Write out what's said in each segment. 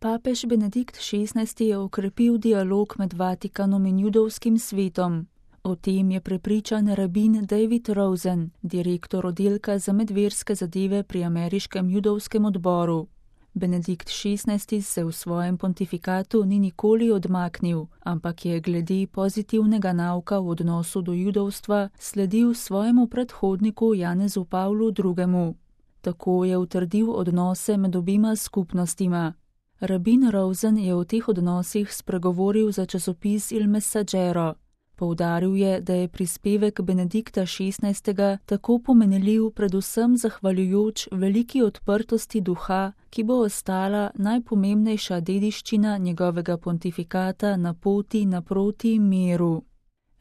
Papež Benedikt XVI je okrepil dialog med Vatikanom in judovskim svetom. O tem je prepričan rabin David Rosen, direktor oddelka za medverske zadeve pri ameriškem judovskem odboru. Benedikt XVI se v svojem pontifikatu ni nikoli odmaknil, ampak je glede pozitivnega nauka v odnosu do judovstva sledil svojemu predhodniku Janezu Pavlu II. Tako je utrdil odnose med obima skupnostima. Rabin Rosen je o teh odnosih spregovoril za časopis Il Messaggero. Poudaril je, da je prispevek Benedikta XVI tako pomenljiv predvsem zahvaljujoč veliki odprtosti duha, ki bo ostala najpomembnejša dediščina njegovega pontifikata na poti naproti miru.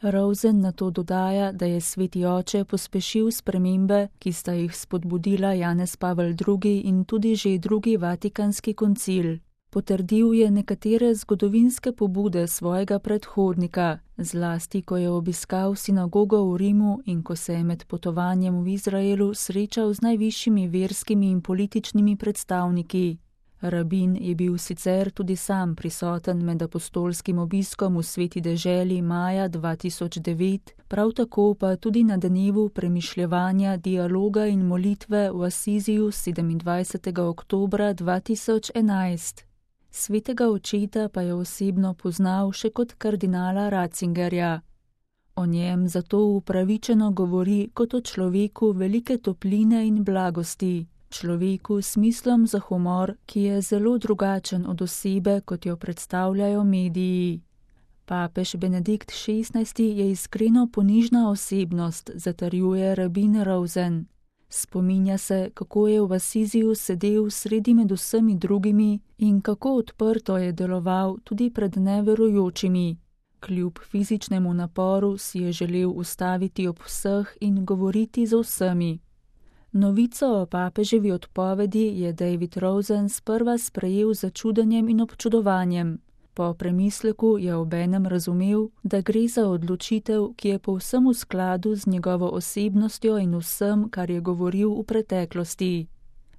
Rosen nato dodaja, da je sveti oče pospešil spremembe, ki sta jih spodbudila Janez Pavel II in tudi že drugi Vatikanski koncil. Potrdil je nekatere zgodovinske pobude svojega predhodnika, zlasti ko je obiskal sinagogo v Rimu in ko se je med potovanjem v Izraelu srečal z najvišjimi verskimi in političnimi predstavniki. Rabin je bil sicer tudi sam prisoten med apostolskim obiskom v Sveti deželi maja 2009, prav tako pa tudi na dnevu premišljevanja, dialoga in molitve v Asiziju 27. oktobra 2011. Svetega očeta pa je osebno poznal še kot kardinala Ratzingerja. O njem zato upravičeno govori kot o človeku velike topline in blagosti, človeku s smislom za humor, ki je zelo drugačen od osebe, kot jo predstavljajo mediji. Papež Benedikt XVI je iskreno ponižna osebnost, zatrjuje rabin Rosen. Spominja se, kako je v Asiziju sedel sredi med vsemi drugimi in kako odprto je deloval tudi pred neverujočimi. Kljub fizičnemu naporu si je želel ustaviti ob vseh in govoriti z vsemi. Novico o papeževi odpovedi je David Rosen sprva sprejel z začudenjem in občudovanjem. Po premisleku je obenem razumel, da gre za odločitev, ki je povsem v skladu z njegovo osebnostjo in vsem, kar je govoril v preteklosti.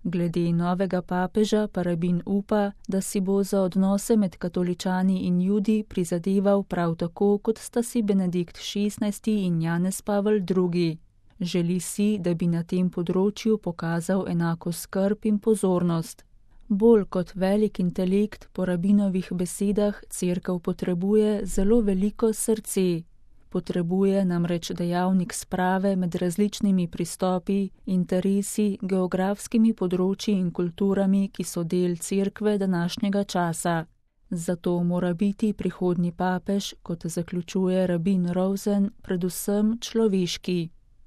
Glede novega papeža pa rabin upa, da si bo za odnose med katoličani in judi prizadeval prav tako, kot sta si Benedikt XVI in Janez Pavel II. Želi si, da bi na tem področju pokazal enako skrb in pozornost. Bolj kot velik intelekt, po rabinovih besedah, cerkev potrebuje zelo veliko srce. Potrebuje namreč dejavnik sprave med različnimi pristopi, interesi, geografskimi področji in kulturami, ki so del cerkve današnjega časa. Zato mora biti prihodnji papež, kot zaključuje rabin Rosen, predvsem človeški.